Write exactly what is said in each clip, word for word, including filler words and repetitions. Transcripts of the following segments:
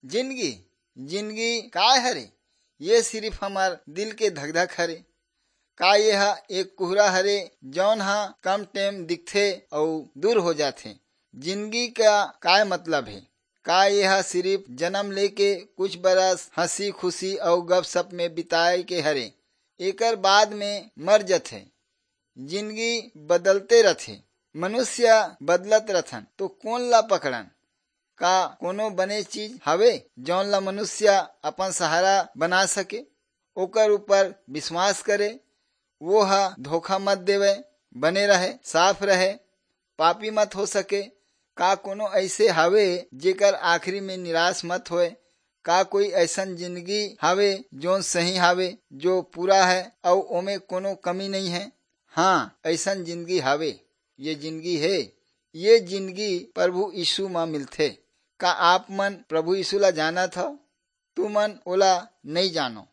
जिंदगी, जिंदगी काय हरे? ये सिर्फ हमर दिल के धकधक हरे। का ये ह एक कुहरा हरे, जौन ह कम टेम दिखथे अउ दूर हो जाथे? जिंदगी का काय मतलब हे? का ये ह सिर्फ जन्म लेके कुछ बरस हंसी खुशी अउ गपशप में बिताए के हरे? एकर बाद में मर जथे। जिंदगी बदलते रथे, मनुष्य बदलत रथन, तो कोन ला पकड़न? का कोनो बने चीज हवे, जौन ला मनुष्य अपन सहारा बना सके? ओकर ऊपर विश्वास करे, वो ह धोखा मत देवे, बने रहे, साफ रहे, पापी मत हो सके। का कोनो ऐसे हवे, जेकर आखिरी में निराश मत होए? का कोई ऐसन जिंदगी हवे, जोन सही हवे, जो पूरा है, अउ ओमे कोनो कमी नहीं है? हाँ, ऐसन जिंदगी हवे। ये जिंदगी हे, ये जिंदगी प्रभु यीशु म मिलथे। का आप मन प्रभु यीशु ला जानत हव? तुमन ओला नई जानो,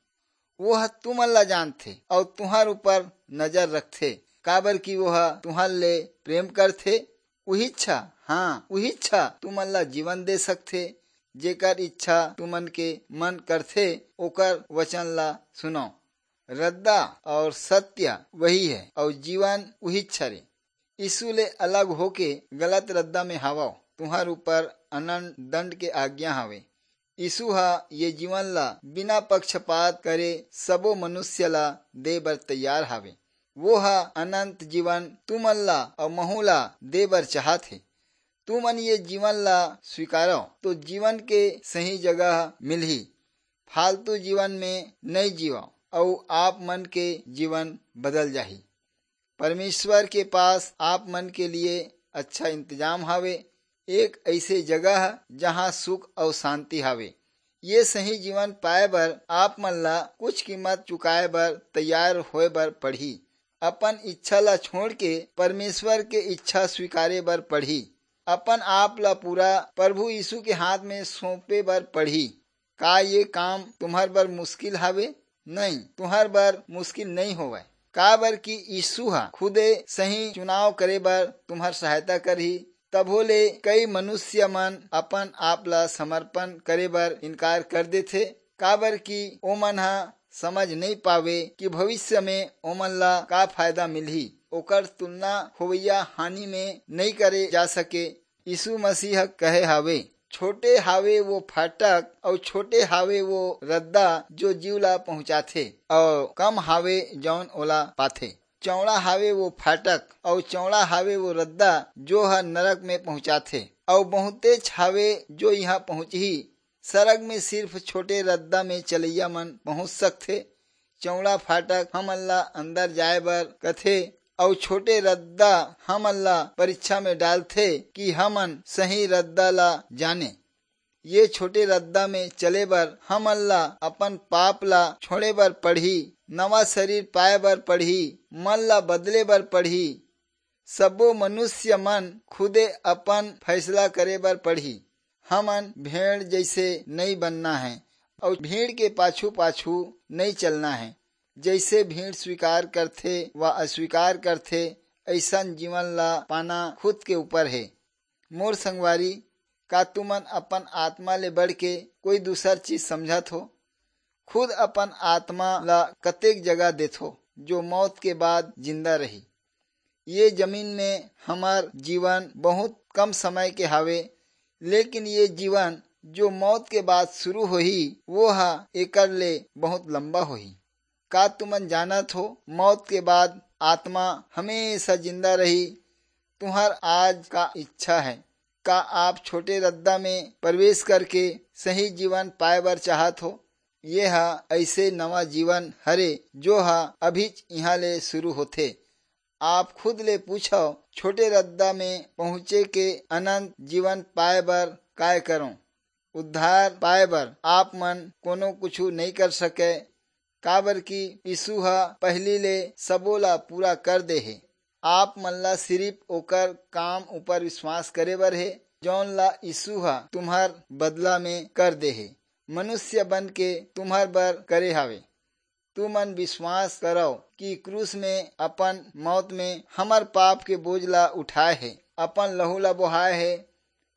वो ह तुमन ला जानथे अउ तुहर ऊपर नजर रखथे, काबर कि वो ह तुहर ले प्रेम करथे। उही इच्छा, हाँ, उही इच्छा तुमन ला जीवन दे सकथे। जेकर इच्छा तुमन के मन करथे, ओकर वचन ला सुनो। रद्दा और सत्य वही है, और जीवन उही इच्छा रे। यीशु ले अलग होके गलत रद्दा में हवव, तुहर ऊपर अनंत दंड के आज्ञा हवे। यीशु ह ये जीवन ला बिना पक्षपात करे सबो मनुष्य ला दे बर तैयार हवे। वो ह अनंत जीवन तुमन ला अउ महू ला दे बर चाहत हे। तुमन ये जीवन ला स्वीकारव, तो जीवन के सही जगह मिलही। फालतू जीवन में नई जीवव, अउ आप मन के जीवन बदल जाही। परमेश्वर के पास आप मन के लिए अच्छा इंतजाम हवे, एक ऐसे जगह, जहां सुख अउ शांति हवे। ये सही जीवन पाए बर आप मन ला कुछ कीमत चुकाए बर तैयार होए बर पड़ही। अपन इच्छा ला छोड़ के परमेश्वर के इच्छा स्वीकारे बर पड़ही। अपन आप ला पूरा प्रभु यीशु के हाथ में सौंपे बर पड़ही। का ये काम तुम्हर बर मुश्किल हवे? नहीं, तुम्हर बर मुश्किल नहीं होवय, काबर कि यीशु ह खुदे सही चुनाव करे बर तुम्हर सहायता करही। तभो ले कई मनुष्य मन अपन आप ला समर्पण करे बर इनकार कर देथे, काबर कि ओमन ह समझ नहीं पावे कि भविष्य में ओमन ला का फायदा मिलही। ओकर तुलना होवइया हानि में नहीं करे जा सके। यीशु मसीह कहे हावे, "छोटे हावे वो फाटक, अउ छोटे हावे वो रद्दा, जो जीव ला पहुंचाथे, अउ कम हावे, जौन ओला पाथे। चौड़ा हावे वो फाटक, अउ चौड़ा हावे वो रद्दा, जो ह नरक में पहुंचाथे, अउ बहुतेच हावे, जो इहां पहुंचही।" सरग में सिर्फ छोटे रद्दा में चलइया मन पहुंच सकथे। चौड़ा फाटक हमन ला अंदर जाए बर कथे, अउ छोटे रद्दा हमन ला परीक्षा में डालथे कि हमन सही रद्दा ला जाने। ये छोटे रद्दा में चले बर हमन ला अपन पाप ला छोड़े बर पड़ही, नवा शरीर पाए बर पड़ही, मन ला बदले बर पड़ही। सबो मनुष्य मन खुदे अपन फैसला करे बर पड़ही। हमन भेड़ जैसे नई बनना है, अउ भीड़ के पाछू-पाछू नई चलना है। जैसे भीड़ स्वीकार करथे व अस्वीकार करथे, ऐसन जीवन ला पाना खुद के ऊपर है। मोर संगवारी, का तुमन अपन आत्मा ले बढ़ के कोई दूसर चीज समझत हो? खुद अपन आत्मा ला कतेक जगह देथो, जो मौत के बाद जिंदा रही? ये जमीन में हमार जीवन बहुत कम समय के हावे, लेकिन ये जीवन जो मौत के बाद शुरू होही, वो ह एकर ले बहुत लंबा होही। का तुमन जानत हो, मौत के बाद आत्मा हमेशा जिंदा रही? तुम्हार आज का इच्छा है? का आप छोटे रद्दा में प्रवेश करके सही जीवन पाए बर चाहत हो? ये ह ऐसे नवा जीवन हरे, जो ह अभीच इहां ले शुरू होथे। आप खुद ले पूछव, "छोटे रद्दा में पहुंचे के अनंत जीवन पाए बर काय करों?" उद्धार पाए बर आप मन कोनो कुछु नई कर सके, काबर कि यीशु ह पहिली ले सबो ला पूरा कर दे हे। आप मन ला सिर्फ ओकर काम ऊपर विश्वास करे बर हे, जौन ला यीशु ह तुम्हर बदला में कर दे हे, मनुष्य बन के तुम्हर बर करे हावे। तुमन विश्वास करव कि क्रूस में अपन मौत में हमर पाप के बोझ ला उठाए हे, अपन लहू ला बोहाए हे,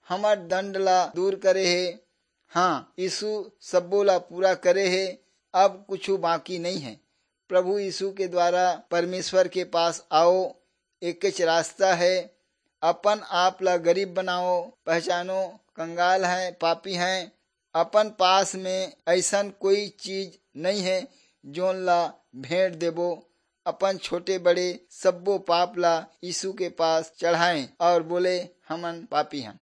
हमर दंड ला दूर करे हे, हाँ, यीशु सब्बो ला पूरा करे हे, अब कुछु बाकी नहीं है। प्रभु यीशु के द्वारा परमेश्वर के पास आओ, एकेच रास्ता है। अपन आप ला गरीब बनाओ, पहचानो, कंगाल हैं, पापी हैं। अपन पास में ऐसन कोई चीज नहीं है, जोन ला भेंट देबो। अपन छोटे बड़े सब्बो पाप ला यीशु के पास चढ़ाएं और बोले, "हमन पापी हन।"